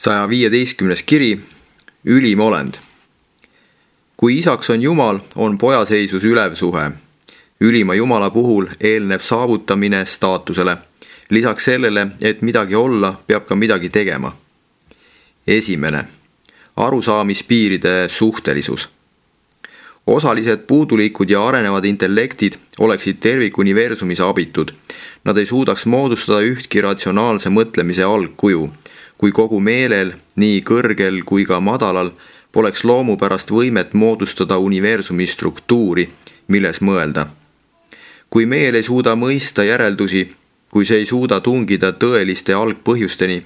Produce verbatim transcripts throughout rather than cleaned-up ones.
saja viieteistkümnes kiri, ülim olend. Kui isaks on Jumal, on pojaseisus ülev suhe. Ülima Jumala puhul eelneb saavutamine staatusele. Lisaks sellele, et midagi olla, peab ka midagi tegema. Esimene. Arusaamispiiride suhtelisus. Osalised puudulikud ja arenevad intellektid oleksid tervikuniversumis abitud. Nad ei suudaks moodustada ühtki ratsionaalse mõtlemise algkuju, kui kogu meelel, nii kõrgel kui ka madalal, poleks loomupärast võimet moodustada universumi struktuuri, milles mõelda. Kui meel ei suuda mõista järeldusi, kui see ei suuda tungida tõeliste algpõhjusteni,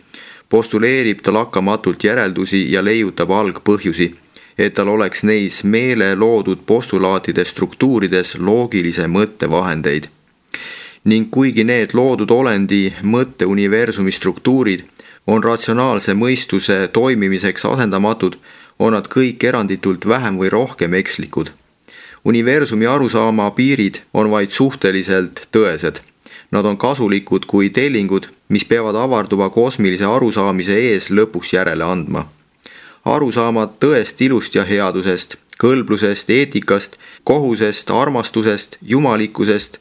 postuleerib ta lakkamatult järeldusi ja leiutab algpõhjusi, et tal oleks neis meele loodud postulaatide struktuurides loogilise mõttevahendeid. Ning kuigi need loodud olendi mõtte universumi struktuurid on ratsionaalse mõistuse toimimiseks asendamatud, on nad kõik eranditult vähem või rohkem ekslikud. Universumi arusaama piirid on vaid suhteliselt tõesed. Nad on kasulikud kui tellingud, mis peavad avarduva kosmilise arusaamise ees lõpuks järele andma. Arusaamad tõest, ilust ja headusest, kõlblusest, eetikast, kohusest, armastusest, jumalikkusest,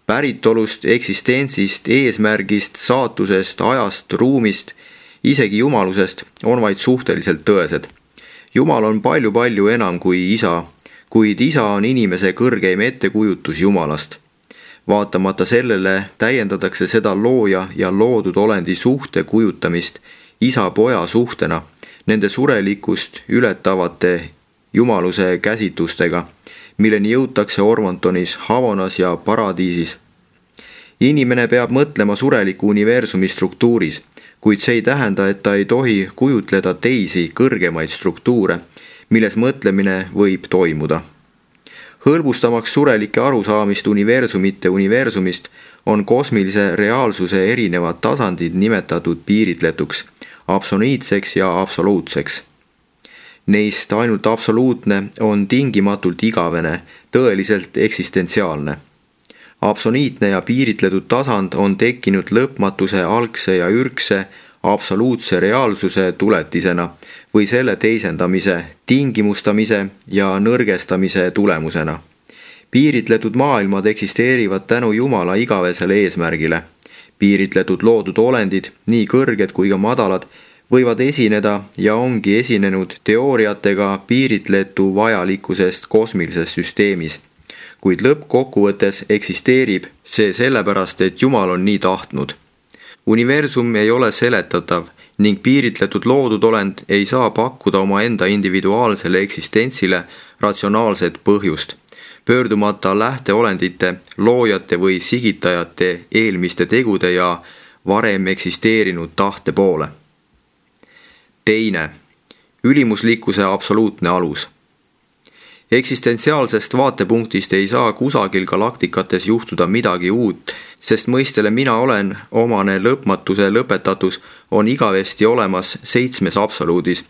päritolust, eksistentsist, eesmärgist, saatusest, ajast, ruumist, isegi jumalusest on vaid suhteliselt tõesed. Jumal on palju-palju enam kui isa, kuid isa on inimese kõrgeim ettekujutus Jumalast. Vaatamata sellele täiendatakse seda looja ja loodud olendi suhte kujutamist isa-poja suhtena, nende surelikkust ületavate jumaluse käsitlustega, milleni jõutakse Ormontonis, Havonas ja paradiisis. Inimene peab mõtlema sureliku universumi struktuuris, kuid see ei tähenda, et ta ei tohi kujutleda teisi kõrgemaid struktuure, milles mõtlemine võib toimuda. Hõlbustamaks surelike arusaamist universumite universumist on kosmilise reaalsuse erinevad tasandid nimetatud piiritletuks, absoluutseks ja absoluutseks. Neist ainult absoluutne on tingimatult igavene, tõeliselt eksistentsiaalne. Absoluutne ja piiritletud tasand on tekkinud lõpmatuse algse ja ürgse absoluutse reaalsuse tuletisena või selle teisendamise, tingimustamise ja nõrgestamise tulemusena. Piiritletud maailmad eksisteerivad tänu Jumala igavesele eesmärgile. Piiritletud loodud olendid, nii kõrged kui ka madalad, võivad esineda ja ongi esinenud teooriatega piiritletu vajalikkusest kosmilises süsteemis. Kuid lõppkokkuvõttes eksisteerib see sellepärast, et Jumal on nii tahtnud. Universum ei ole seletatav ning piiritletud loodud olend ei saa pakkuda oma enda individuaalsele eksistentsile ratsionaalset põhjust, pöördumata lähteolendite, loojate või sigitajate eelmiste tegude ja varem eksisteerinud tahte poole. Teine. Ülimuslikkuse absoluutne alus. Eksistentsiaalsest vaatepunktist ei saa kusagil galaktikates juhtuda midagi uut, sest mõistele mina olen omane lõpmatuse lõpetatus on igavesti olemas seitsmes absoluudis,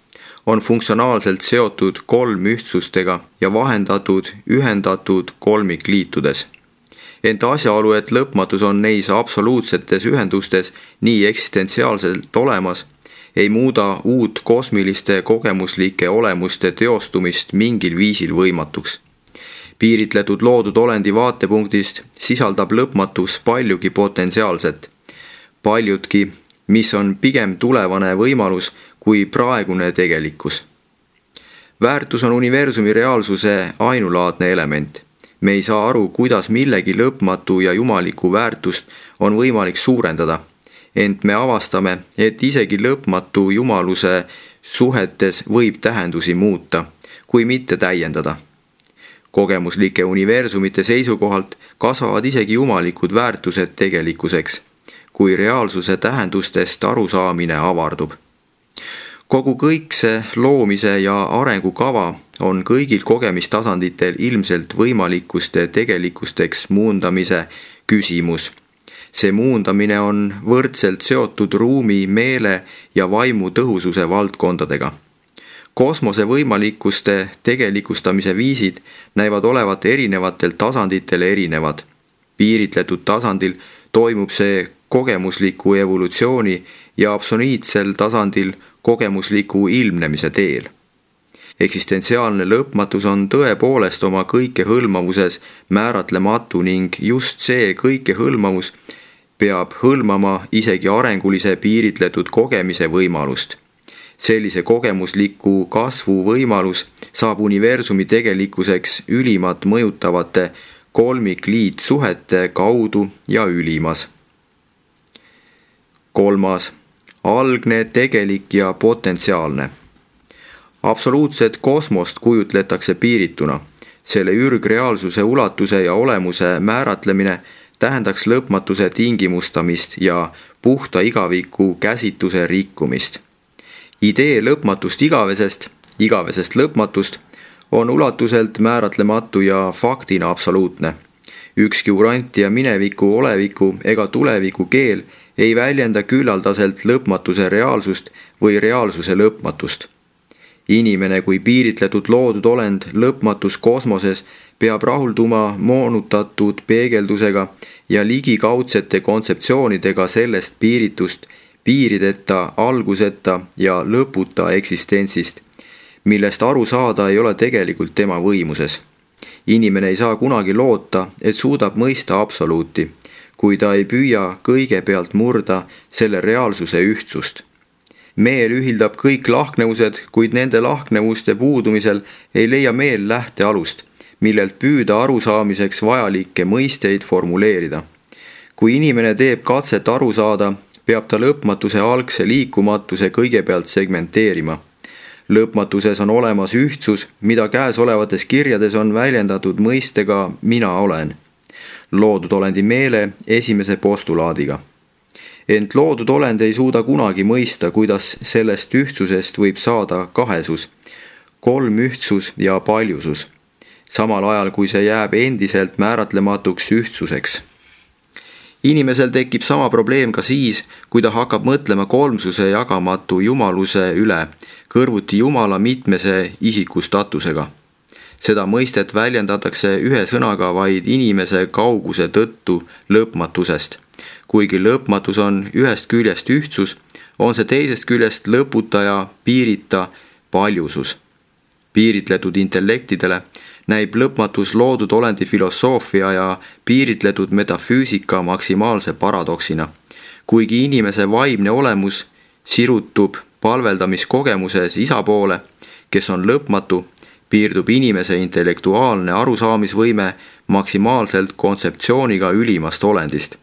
on funktsionaalselt seotud kolm ühtsustega ja vahendatud, ühendatud kolmikliitudes. Ent asjaolu, et lõpmatus on neis absoluutsetes ühendustes nii eksistentsiaalselt olemas, ei muuda uut kosmiliste kogemuslike olemuste teostumist mingil viisil võimatuks. Piiritletud loodud olendi vaatepunktist sisaldab lõpmatus paljugi potentsiaalset, paljudki, mis on pigem tulevane võimalus kui praegune tegelikkus. Väärtus on universumi reaalsuse ainulaadne element. Me ei saa aru, kuidas millegi lõpmatu ja jumaliku väärtust on võimalik suurendada, ent me avastame, et isegi lõpmatu jumaluse suhetes võib tähendusi muuta, kui mitte täiendada. Kogemuslike universumite seisukohalt kasvavad isegi jumalikud väärtused tegelikkuseks, kui reaalsuse tähendustest arusaamine avardub. Kogu kõikse loomise ja arengukava on kõigil kogemistasanditel ilmselt võimalikkuste tegelikusteks muundamise küsimus. See muundamine on võrdselt seotud ruumi, meele ja vaimu tõhususe valdkondadega. Kosmose võimalikkuste tegelikustamise viisid näivad olevat erinevatel tasanditel erinevad. Piiritletud tasandil toimub see kogemusliku evolutsiooni ja absoluutsel tasandil kogemusliku ilmnemise teel. Eksistentsiaalne lõpmatus on tõepoolest oma kõikehõlmavuses määratlematu ning just see kõikehõlmavus peab hõlmama isegi arengulise piiritletud kogemise võimalust. Sellise kogemusliku kasvu võimalus saab universumi tegelikkuseks ülimat mõjutavate kolmikliitsuhete kaudu ja ülimas. Kolmas, algne, tegelik ja potentsiaalne. Absoluutset kosmost kujutletakse piirituna. Selle ürgreaalsuse ulatuse ja olemuse määratlemine tähendaks lõpmatuse tingimustamist ja puhta igaviku käsitluse rikkumist. Idee lõpmatust igavesest, igavesest lõpmatust on ulatuselt määratlematu ja faktina absoluutne. Ükski uranti ja mineviku, oleviku ega tuleviku keel ei väljenda küllaldaselt lõpmatuse reaalsust või reaalsuse lõpmatust. Inimene kui piiritletud loodud olend lõpmatus kosmoses peab rahulduma moonutatud peegeldusega ja ligikaudsete kontseptsioonidega sellest piiritust, piirideta, alguseta ja lõputa eksistentsist, millest aru saada ei ole tegelikult tema võimuses. Inimene ei saa kunagi loota, et suudab mõista absoluuti, kui ta ei püüa kõigepealt murda selle reaalsuse ühtsust. Meel ühildab kõik lahknevused, kuid nende lahknevuste puudumisel ei leia meel lähtealust, millelt püüda arusaamiseks vajalikke mõisteid formuleerida. Kui inimene teeb katset aru saada, peab ta lõpmatuse algse liikumatuse kõigepealt segmenteerima. Lõpmatuses on olemas ühtsus, mida käesolevates kirjades on väljendatud mõistega mina olen. Loodud olendi meele esimese postulaadiga. Ent loodud olend ei suuda kunagi mõista, kuidas sellest ühtsusest võib saada kahesus, kolmühtsus ja paljusus, samal ajal kui see jääb endiselt määratlematuks ühtsuseks. Inimesel tekib sama probleem ka siis, kui ta hakkab mõtlema kolmsuse jagamatu jumaluse üle, kõrvuti Jumala mitmese isikustatusega. Seda mõistet väljendatakse ühe sõnaga vaid inimese kauguse tõttu lõpmatusest. Kuigi lõpmatus on ühest küljest ühtsus, on see teisest küljest lõputa ja piirita paljusus. Piiritletud intellektidele näib lõpmatus loodud olendi filosoofia ja piiritletud metafüüsika maksimaalse paradoksina. Kuigi inimese vaimne olemus sirutub palveldamiskogemuses isa poole, kes on lõpmatu, piirdub inimese intellektuaalne arusaamisvõime maksimaalselt kontseptsiooniga ülimast olendist.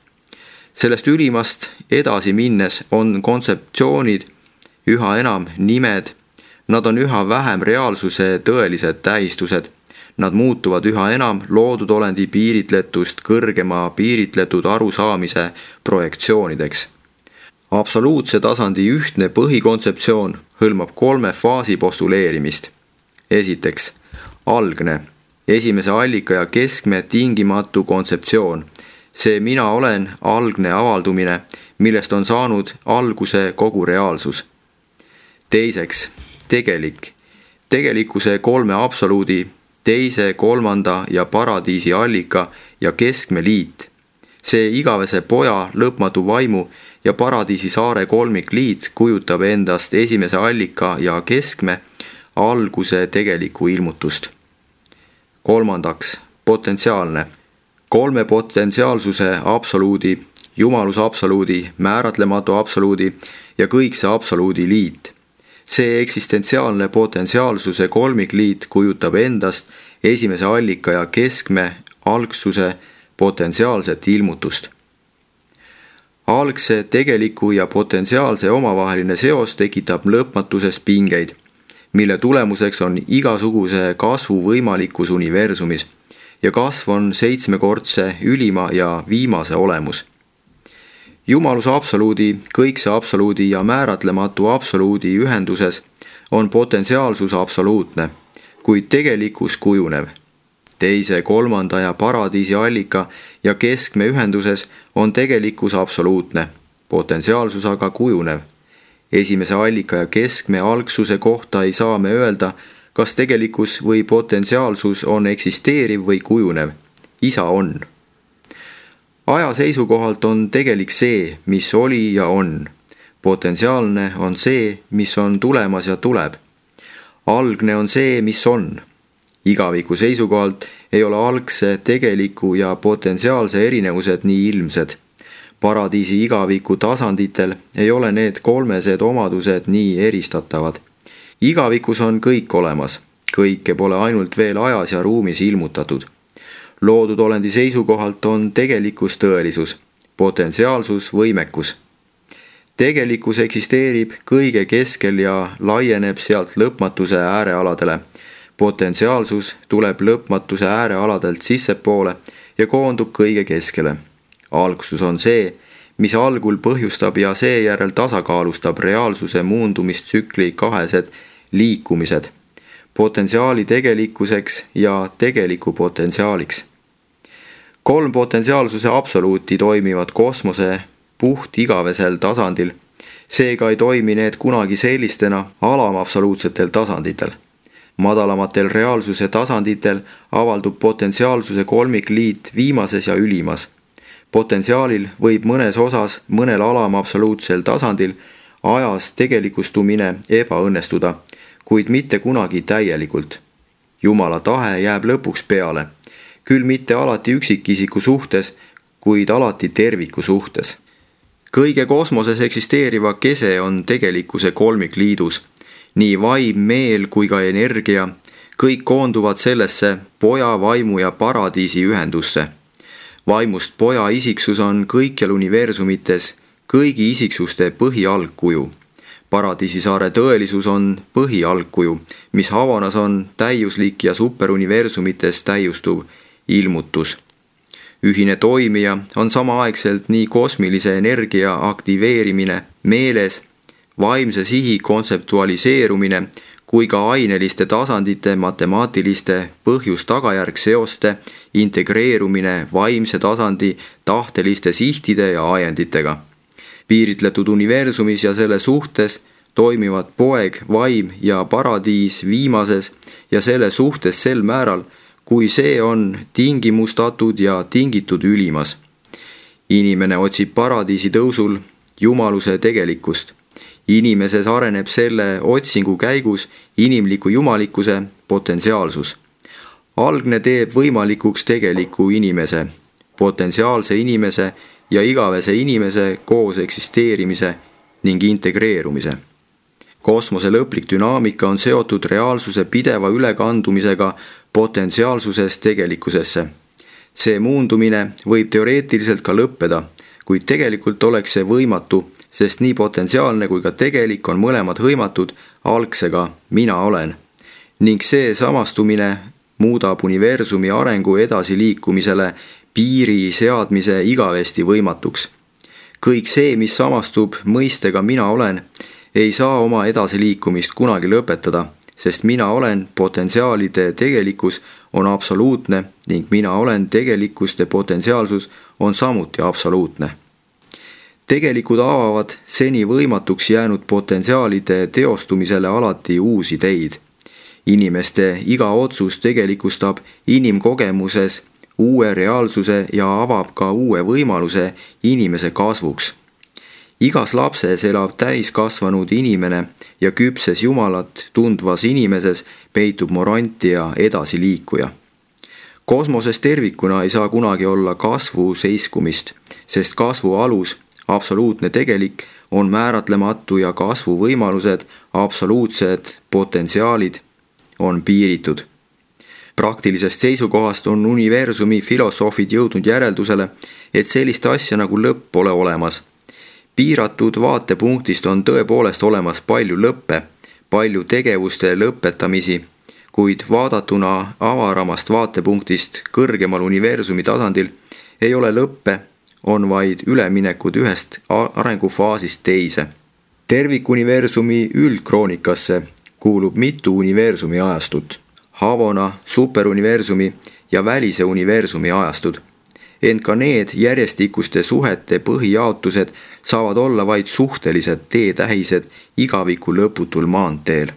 Sellest ülimast edasi minnes on kontseptsioonid üha enam nimed, nad on üha vähem reaalsuse tõelised tähistused, nad muutuvad üha enam loodud olendi piiritletust kõrgema piiritletud arusaamise projektsioonideks. Absoluutse tasandi ühtne põhikontseptsioon hõlmab kolme faasi postuleerimist. Esiteks, algne, esimese allika ja keskme tingimatu kontseptsioon. See mina olen algne avaldumine, millest on saanud alguse kogu reaalsus. Teiseks, tegelik, tegelikkuse kolme absoluudi, teise, kolmanda ja paradiisi allika ja keskme liit. See igavese poja, lõpmatu vaimu ja paradiisi saare kolmikliit kujutab endast esimese allika ja keskme alguse tegelikku ilmutust. Kolmandaks, potentsiaalne. Kolme potentsiaalsuse absoluudi, jumaluse absoluudi, määratlematu absoluudi ja kõikse absoluudi liit. See eksistentsiaalne potentsiaalsuse kolmikliit kujutab endast esimese allika ja keskme algsuse potentsiaalset ilmutust. Algse, tegeliku ja potentsiaalse omavaheline seos tekitab lõpmatuses pingeid, mille tulemuseks on igasuguse kasvu võimalikkus universumis ja kasv on seitsmekordse ülima ja viimase olemus. Jumaluse absoluudi, kõikse absoluudi ja määratlematu absoluudi ühenduses on potentsiaalsus absoluutne, kuid tegelikkus kujunev. Teise, kolmanda ja paradiisi allika ja keskme ühenduses on tegelikkus absoluutne, potentsiaalsus aga kujunev. Esimese allika ja keskme algsuse kohta ei saa me öelda, kas tegelikkus või potentsiaalsus on eksisteeriv või kujunev. Isa on. Aja seisukohalt on tegelik see, mis oli ja on. Potentsiaalne on see, mis on tulemas ja tuleb. Algne on see, mis on. Igaviku seisukohalt ei ole algse, tegeliku ja potentsiaalse erinevused nii ilmsed. Paradiisi igaviku tasanditel ei ole need kolmesed omadused nii eristatavad. Igavikus on kõik olemas, kõike pole ainult veel ajas ja ruumis ilmutatud. Loodud olendi seisukohalt on tegelikkus tõelisus, potentsiaalsus võimekus. Tegelikkus eksisteerib kõige keskel ja laieneb sealt lõpmatuse äärealadele. Potentsiaalsus tuleb lõpmatuse äärealadelt sissepoole ja koondub kõige keskele. Algsus on see, mis algul põhjustab ja seejärel tasakaalustab reaalsuse muundumistsükli kahesed liikumised, potentsiaali tegelikkuseks ja tegeliku potentsiaaliks. Kolm potentsiaalsuse absoluuti toimivad kosmose puht igavesel tasandil, seega ei toimi need kunagi sellistena alamabsoluutsetel tasanditel. Madalamatel reaalsuse tasanditel avaldub potentsiaalsuse kolmikliit viimases ja ülimas. Potentsiaalil võib mõnes osas mõnel alamabsoluutsel tasandil ajas tegelikustumine ebaõnnestuda, kuid mitte kunagi täielikult. Jumala tahe jääb lõpuks peale, küll mitte alati üksikisiku suhtes, kuid alati terviku suhtes. Kõige kosmoses eksisteeriva kese on tegelikkuse kolmikliidus. Nii vaim, meel kui ka energia, kõik koonduvad sellesse poja, vaimu ja paradiisi ühendusse. Vaimust poja isiksus on kõikjal universumites kõigi isiksuste põhialgkuju. Paradiisisaare tõelisus on põhialgkuju, mis Havanas on täiuslik ja superuniversumites täiustuv ilmutus. Ühine toimija on samaaegselt nii kosmilise energia aktiveerimine meeles, vaimse sihi kontseptualiseerumine kui ka aineliste tasandite matemaatiliste põhjus-tagajärg-seoste integreerumine vaimse tasandi tahteliste sihtide ja ajenditega. Piiritletud universumis ja selle suhtes toimivad poeg, vaim ja paradiis viimases ja selle suhtes sel määral, kui see on tingimustatud ja tingitud ülimas. Inimene otsib paradiisi tõusul jumaluse tegelikkust. Inimeses areneb selle otsingu käigus inimliku jumalikkuse potentsiaalsus. Algne teeb võimalikuks tegeliku inimese, potentsiaalse inimese ja igavese inimese koos eksisteerimise ning integreerumise. Kosmose lõplik dünaamika on seotud reaalsuse pideva ülekandumisega potentsiaalsusest tegelikkusesse. See muundumine võib teoreetiliselt ka lõppeda, kuid tegelikult oleks see võimatu, sest nii potentsiaalne kui ka tegelik on mõlemad hõimatud algsega mina olen. Ning see samastumine muudab universumi arengu edasiliikumisele piiri seadmise igavesti võimatuks. Kõik see, mis samastub mõistega mina olen, ei saa oma edasiliikumist kunagi lõpetada, sest mina olen potentsiaalide tegelikkus on absoluutne ning mina olen tegelikkuste potentsiaalsus on samuti absoluutne. Tegelikud avavad seni võimatuks jäänud potentsiaalide teostumisele alati uusi teid. Inimeste iga otsus tegelikustab inimkogemuses uue reaalsuse ja avab ka uue võimaluse inimese kasvuks. Igas lapses elab täiskasvanud inimene ja küpses Jumalat tundvas inimeses peitub morant ja edasiliikuja. Kosmoses tervikuna ei saa kunagi olla kasvu seiskumist, sest kasvu alus, absoluutne tegelik, on määratlematu ja kasvu võimalused, absoluutsed potentsiaalid, on piiritud. Praktilisest seisukohast on universumi filosoofid jõudnud järeldusele, et sellist asja nagu lõpp pole olemas. Piiratud vaatepunktist on tõepoolest olemas palju lõppe, palju tegevuste lõpetamisi, kuid vaadatuna avaramast vaatepunktist kõrgemal universumi tasandil ei ole lõppe, on vaid üleminekud ühest arengufaasist teise. Tervikuniversumi üldkroonikasse kuulub mitu universumi ajastut, Havana, superuniversumi ja välise universumi ajastud. Ent ka need järjestikuste suhete põhijaotused saavad olla vaid suhtelised teetähised igaviku lõputul maanteel.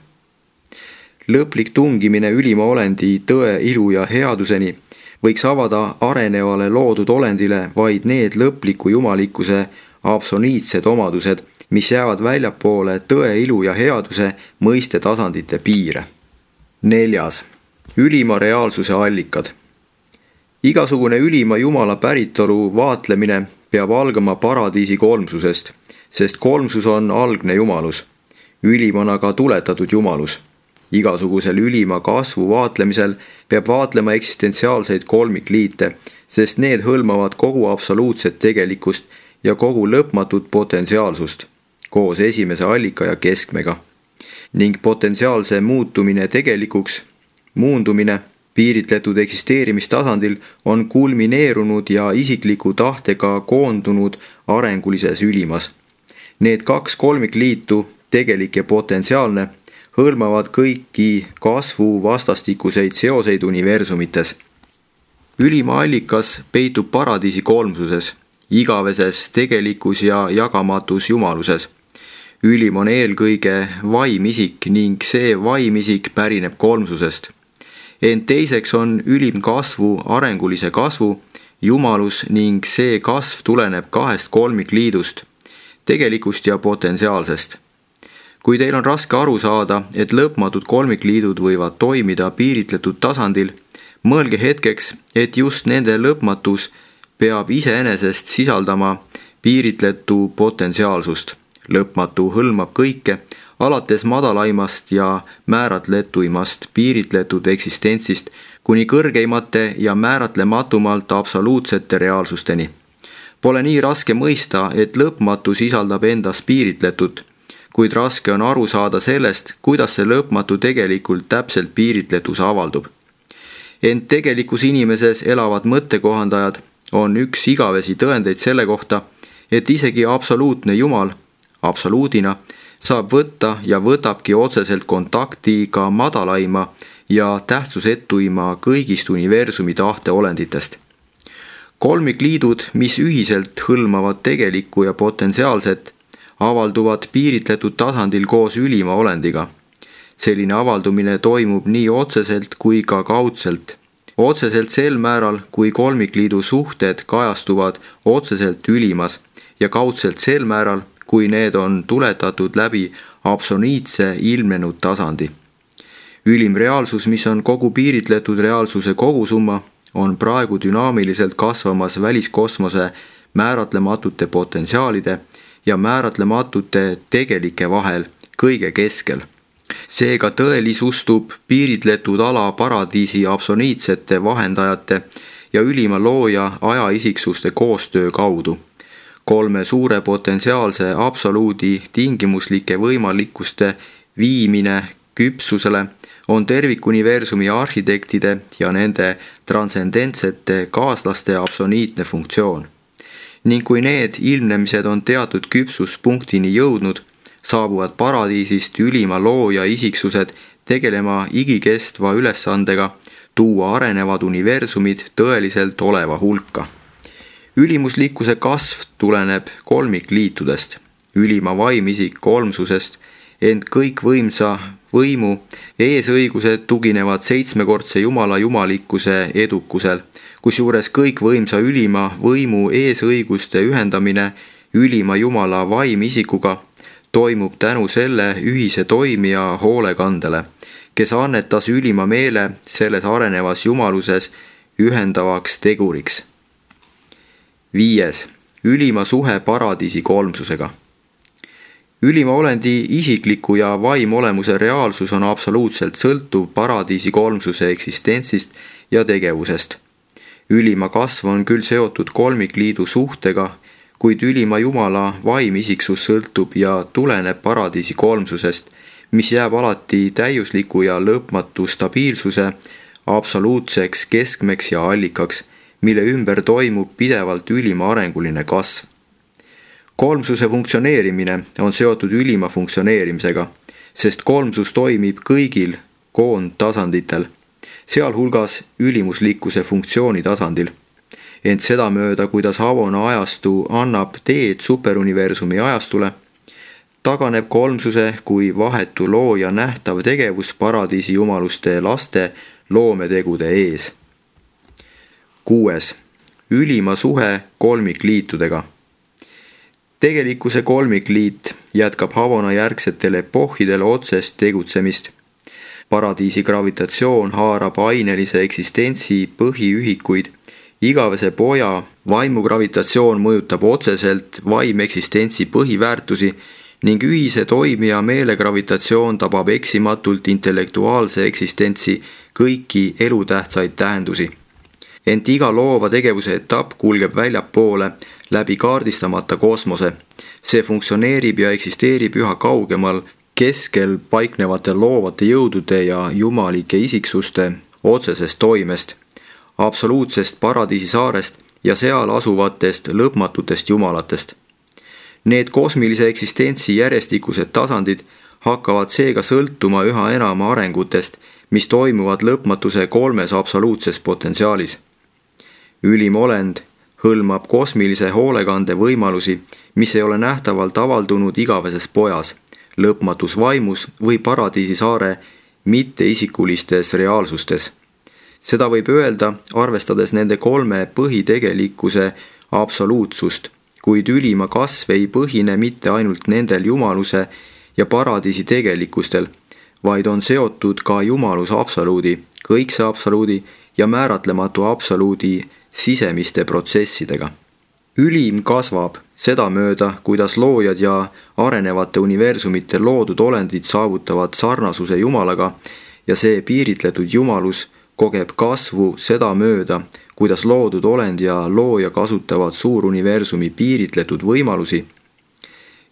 Lõplik tungimine ülima olendi tõe, ilu ja headuseni võiks avada arenevale loodud olendile vaid need lõpliku jumalikkuse absoluutsed omadused, mis jäävad väljapoole tõe, ilu ja headuse mõiste tasandite piire. Neljas. Ülima reaalsuse allikad. Igasugune ülima Jumala päritolu vaatlemine peab algama paradiisi kolmsusest, sest kolmsus on algne jumalus. Ülim on aga tuletatud jumalus. Igasugusel ülima kasvu vaatlemisel peab vaatlema eksistentsiaalseid kolmikliite, sest need hõlmavad kogu absoluutset tegelikkust ja kogu lõpmatut potentsiaalsust, koos esimese allika ja keskmega. Ning potentsiaalse muutumine tegelikuks, muundumine piiritletud eksisteerimistasandil on kulmineerunud ja isikliku tahtega koondunud arengulises ülimas. Need kaks kolmikliitu, tegelik ja potentsiaalne, hõlmavad kõiki kasvu vastastikuseid seoseid universumites. Ülima allikas peitub paradiisi kolmsuses, igaveses tegelikus ja jagamatus jumaluses. Ülim on eelkõige vaimisik ning see vaimisik pärineb kolmsusest. Ent teiseks on ülim kasvu arengulise kasvu jumalus ning see kasv tuleneb kahest kolmikliidust, tegelikust ja potentsiaalsest. Kui teil on raske aru saada, et lõpmatud kolmikliidud võivad toimida piiritletud tasandil, mõelge hetkeks, et just nende lõpmatus peab iseenesest sisaldama piiritletu potentsiaalsust. Lõpmatu hõlmab kõike, alates madalaimast ja määratletuimast piiritletud eksistentsist kuni kõrgeimate ja määratlematumalt absoluutsete reaalsusteni. Pole nii raske mõista, et lõpmatu sisaldab endas piiritletut, kuid raske on aru saada sellest, kuidas see lõpmatu tegelikult täpselt piiritletus avaldub. Ent tegelikus inimeses elavad mõttekohandajad on üks igavesi tõendeid selle kohta, et isegi absoluutne Jumal, absoluudina, saab võtta ja võtabki otseselt kontakti ka madalaima ja tähtsusetuima kõigist universumi tahteolenditest. Kolmikliidud, mis ühiselt hõlmavad tegelikku ja potentsiaalset, avalduvad piiritletud tasandil koos ülima olendiga. Selline avaldumine toimub nii otseselt kui ka kaudselt. Otseselt sel määral, kui kolmikliidu suhted kajastuvad otseselt ülimas ja kaudselt sel määral, kui need on tuletatud läbi absoluutse ilmnenud tasandi. Ülim reaalsus, mis on kogu piiritletud reaalsuse kogusumma, on praegu dünaamiliselt kasvamas väliskosmose määratlematute potentsiaalide ja määratlematute tegelike vahel kõige keskel. Seega tõelisustub piiritletud ala paradiisi absoluutsete vahendajate ja ülima looja ajaisiksuste koostöö kaudu. Kolme suure potentsiaalse absoluudi tingimuslike võimalikkuste viimine küpsusele on tervikuniversumi arhitektide ja nende transcendentsete kaaslaste absoluutne funktsioon. Ning kui need ilmnemised on teatud küpsuspunktini jõudnud, saabuvad paradiisist ülima looja isiksused tegelema igikestva ülesandega tuua arenevad universumid tõeliselt oleva hulka. Ülimuslikkuse kasv tuleneb kolmikliitudest, ülima vaimisik kolmsusest, ent kõikvõimsa võimu eesõigused tuginevad seitsmekordse Jumala jumalikkuse edukusel, kusjuures kõikvõimsa ülima võimu eesõiguste ühendamine ülima Jumala vaimisikuga toimub tänu selle ühise toimija hoolekandele, kes annetas ülima meele selles arenevas jumaluses ühendavaks teguriks. Viies. Ülima suhe paradiisi kolmsusega. Ülima olendi isikliku ja vaimolemuse reaalsus on absoluutselt sõltuv paradiisi kolmsuse eksistentsist ja tegevusest. Ülima kasv on küll seotud kolmikliidu suhtega, kuid ülima Jumala vaimisiksus sõltub ja tuleneb paradiisi kolmsusest, mis jääb alati täiusliku ja lõpmatu stabiilsuse absoluutseks keskmeks ja allikaks, mille ümber toimub pidevalt ülima arenguline kasv. Kolmsuse funktsioneerimine on seotud ülima funktsioneerimisega, sest kolmsus toimib kõigil koondtasanditel, sealhulgas ülimuslikkuse funktsiooni tasandil. Ent seda mööda, kuidas Havona ajastu annab teed superuniversumi ajastule, taganeb kolmsuse kui vahetu looja nähtav tegevus paradiisi jumaluste laste loometegude ees. Kuues. Ülima suhe kolmikliitudega. Tegelikkuse kolmikliit jätkab Havana järgsetel epohhidel otsest tegutsemist. Paradiisi gravitatsioon haarab ainelise eksistentsi põhiühikuid. Igavese poja vaimugravitatsioon mõjutab otseselt vaimeksistentsi põhiväärtusi ning ühise toimija meelegravitatsioon tabab eksimatult intellektuaalse eksistentsi kõiki elutähtsaid tähendusi. Ent iga loova tegevuse etapp kulgeb väljapoole läbi kaardistamata kosmose. See funktsioneerib ja eksisteerib üha kaugemal keskel paiknevate loovate jõudude ja jumalike isiksuste otsesest toimest, absoluutsest paradiisi saarest ja seal asuvatest lõpmatutest jumalatest. Need kosmilise eksistentsi järjestikused tasandid hakkavad seega sõltuma üha enama arengutest, mis toimuvad lõpmatuse kolmes absoluutses potentsiaalis. Ülim olend hõlmab kosmilise hoolekande võimalusi, mis ei ole nähtavalt avaldunud igaveses pojas, lõpmatus vaimus või paradiisi saare mitteisikulistes reaalsustes. Seda võib öelda, arvestades nende kolme põhitegelikkuse absoluutsust, kuid ülima kasv ei põhine mitte ainult nendel jumaluse ja paradiisi tegelikkustel, vaid on seotud ka jumaluse absoluudi, kõikse absoluudi ja määratlematu absoluudi sisemiste protsessidega. Ülim kasvab sedamööda, kuidas loojad ja arenevate universumite loodud olendid saavutavad sarnasuse Jumalaga ja see piiritletud jumalus kogeb kasvu sedamööda, kuidas loodud olend ja looja kasutavad suuruniversumi piiritletud võimalusi.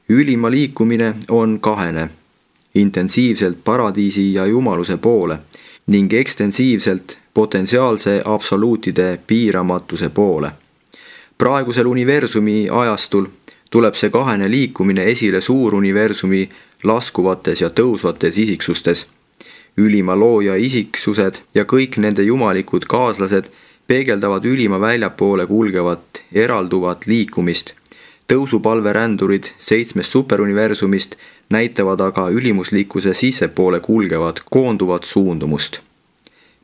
Ülima liikumine on kahene, intensiivselt paradiisi ja jumaluse poole ning ekstensiivselt potentsiaalse absoluutide piiramatuse poole. Praegusel universumi ajastul tuleb see kahene liikumine esile suuruniversumi laskuvates ja tõusvates isiksustes. Ülima looja isiksused ja kõik nende jumalikud kaaslased peegeldavad ülima väljapoole kulgevat eralduvat liikumist. Tõusupalverändurid seitsmest superuniversumist näitavad aga ülimuslikkuse sissepoole kulgevat koonduvat suundumust.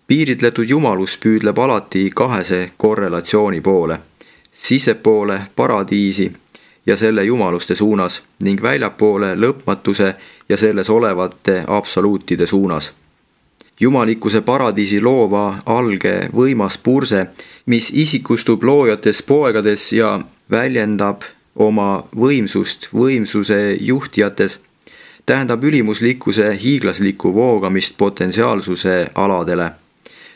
Piiritletud jumalus püüdleb alati kahese korrelatsiooni poole, sissepoole paradiisi ja selle jumaluste suunas ning väljapoole lõpmatuse ja selles olevate absoluutide suunas. Jumalikkuse paradiisi loova alge võimas purse, mis isikustub loojates poegades ja väljendab oma võimsust võimsuse juhtijates, tähendab ülimuslikkuse hiiglaslikku voogamist potentsiaalsuse aladele.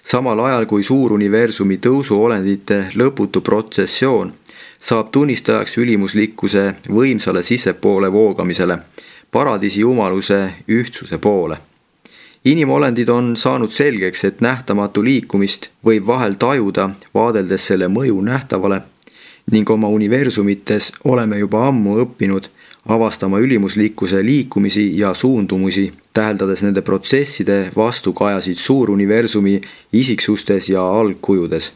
Samal ajal kui suuruniversumi tõusuolendite lõputu protsessioon saab tunnistajaks ülimuslikkuse võimsale sissepoole voogamisele, paradiisi jumaluse ühtsuse poole. Inimolendid on saanud selgeks, et nähtamatu liikumist võib vahel tajuda, vaadeldes selle mõju nähtavale, ning oma universumites oleme juba ammu õppinud avastama ülimuslikkuse liikumisi ja suundumusi, täheldades nende protsesside vastukajasid suuruniversumi isiksustes ja algkujudes.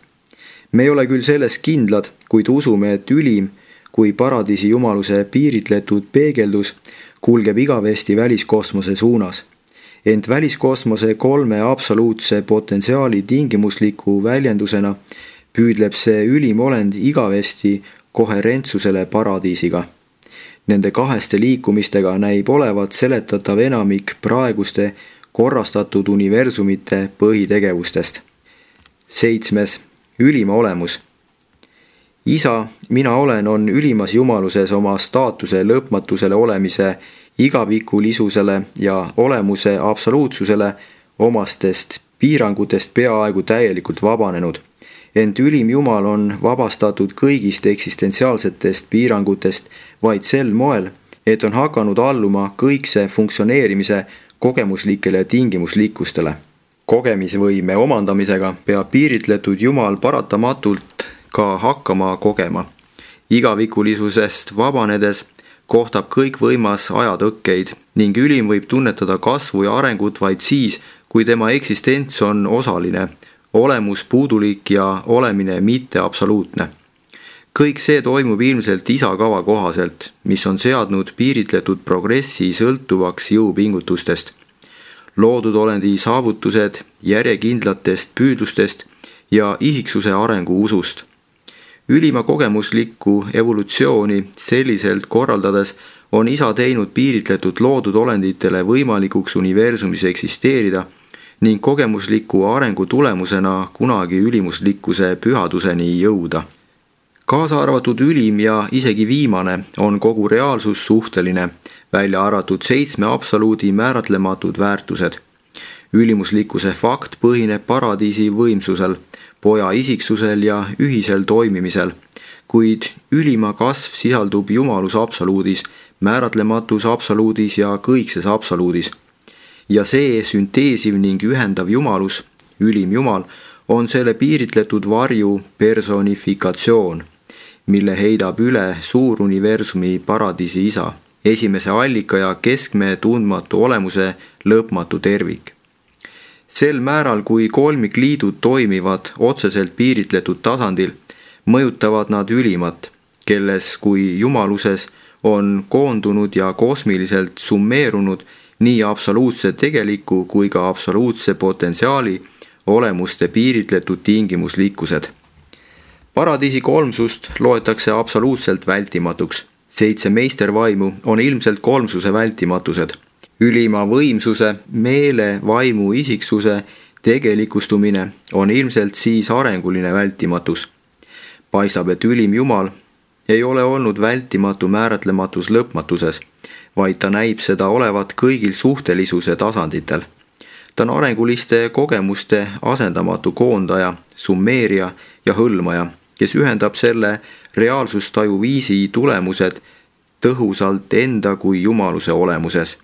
Me ei ole küll selles kindlad, kuid usume, et ülim kui paradiisi jumaluse piiritletud peegeldus kulgeb igavesti väliskosmose suunas. Ent väliskosmose kolme absoluutse potentsiaali tingimusliku väljendusena püüdleb see ülim olend igavesti koherentsusele paradiisiga. Nende kaheste liikumistega näib olevat seletatav enamik praeguste korrastatud universumite põhitegevustest. Seitsmes. Ülima olemus. Isa, mina olen, on ülimas jumaluses oma staatuse lõpmatusele olemise igavikulisusele ja olemuse absoluutsusele omastest piirangutest peaaegu täielikult vabanenud. Ent ülim Jumal on vabastatud kõigist eksistentsiaalsetest piirangutest vaid sel moel, et on hakanud alluma kõikse funktsioneerimise kogemuslikele tingimuslikkustele. Kogemisvõime omandamisega peab piiritletud Jumal paratamatult ka hakkama kogema. Igavikulisusest vabanedes kohtab kõik võimas ajatõkkeid ning ülim võib tunnetada kasvu ja arengut vaid siis, kui tema eksistents on osaline, olemus puudulik ja olemine mitte absoluutne. Kõik see toimub ilmselt isa kava kohaselt, mis on seadnud piiritletud progressi sõltuvaks jõupingutustest. Loodud olendi saavutused järjekindlatest püüdlustest ja isiksuse arengu usust. Ülima kogemuslikku evolutsiooni selliselt korraldades on isa teinud piiritletud loodud olenditele võimalikuks universumis eksisteerida ning kogemusliku arengu tulemusena kunagi ülimuslikkuse pühaduseni jõuda. Kaasa arvatud ülim ja isegi viimane on kogu reaalsus suhteline, välja arvatud seitsme absoluudi määratlematud väärtused. Ülimuslikkuse fakt põhineb paradiisi võimsusel, poja isiksusel ja ühisel toimimisel, kuid ülima kasv sisaldub jumalus absoluudis, määratlematus absoluudis ja kõikses absoluudis. Ja see sünteesiv ning ühendav jumalus, ülim jumal, on selle piiritletud varju personifikatsioon, mille heidab üle suuruniversumi paradiisi isa, esimese allika ja keskme tundmatu olemuse lõpmatu tervik. Sel määral, kui kolmikliidud toimivad otseselt piiritletud tasandil, mõjutavad nad ülimat, kelles kui jumaluses on koondunud ja kosmiliselt summeerunud nii absoluutse tegeliku kui ka absoluutse potentsiaali olemuste piiritletud tingimuslikkused. Paradiisi kolmsust loetakse absoluutselt vältimatuks. Seitse meistervaimu on ilmselt kolmsuse vältimatused. Ülima võimsuse, meele, vaimu, isiksuse tegelikustumine on ilmselt siis arenguline vältimatus. Paistab, et ülim jumal ei ole olnud vältimatu määratlematus lõpmatuses, vaid ta näib seda olevat kõigil suhtelisuse tasanditel. Ta on arenguliste kogemuste asendamatu koondaja, summeerija ja hõlmaja, kes ühendab selle reaalsustaju viisi tulemused tõhusalt enda kui jumaluse olemuses.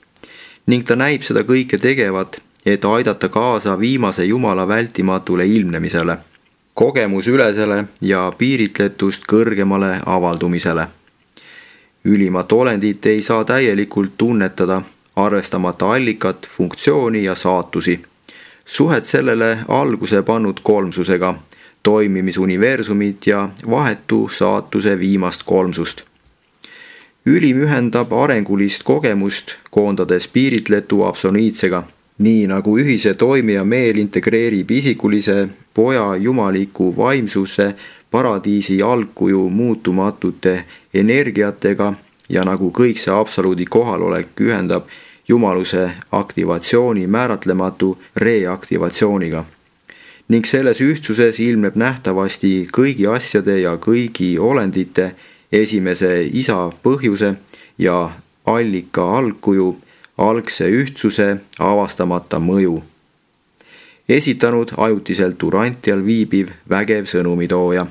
Ning ta näib seda kõike tegevat, et aidata kaasa viimase jumala vältimatule ilmnemisele, kogemusülesele ja piiritletust kõrgemale avaldumisele. Ülimat olendit ei saa täielikult tunnetada, arvestamata allikat, funktsiooni ja saatusi. Suhet sellele alguse pannud kolmsusega, toimimisuniversumit ja vahetu saatuse viimast kolmsust. Ülim ühendab arengulist kogemust, koondades piiritletu absoliitsega, nii nagu ühise toimija meel integreerib isikulise poja jumaliku vaimsuse paradiisi algkuju muutumatute energiatega ja nagu kõik see absoluudi kohalolek ühendab jumaluse aktivatsiooni määratlematu reaktivatsiooniga. Ning selles ühtsuses ilmneb nähtavasti kõigi asjade ja kõigi olendite esimese isa põhjuse ja allika algkuju algse ühtsuse avastamata mõju. Esitanud ajutiselt Urantial viibiv vägev sõnumitooja.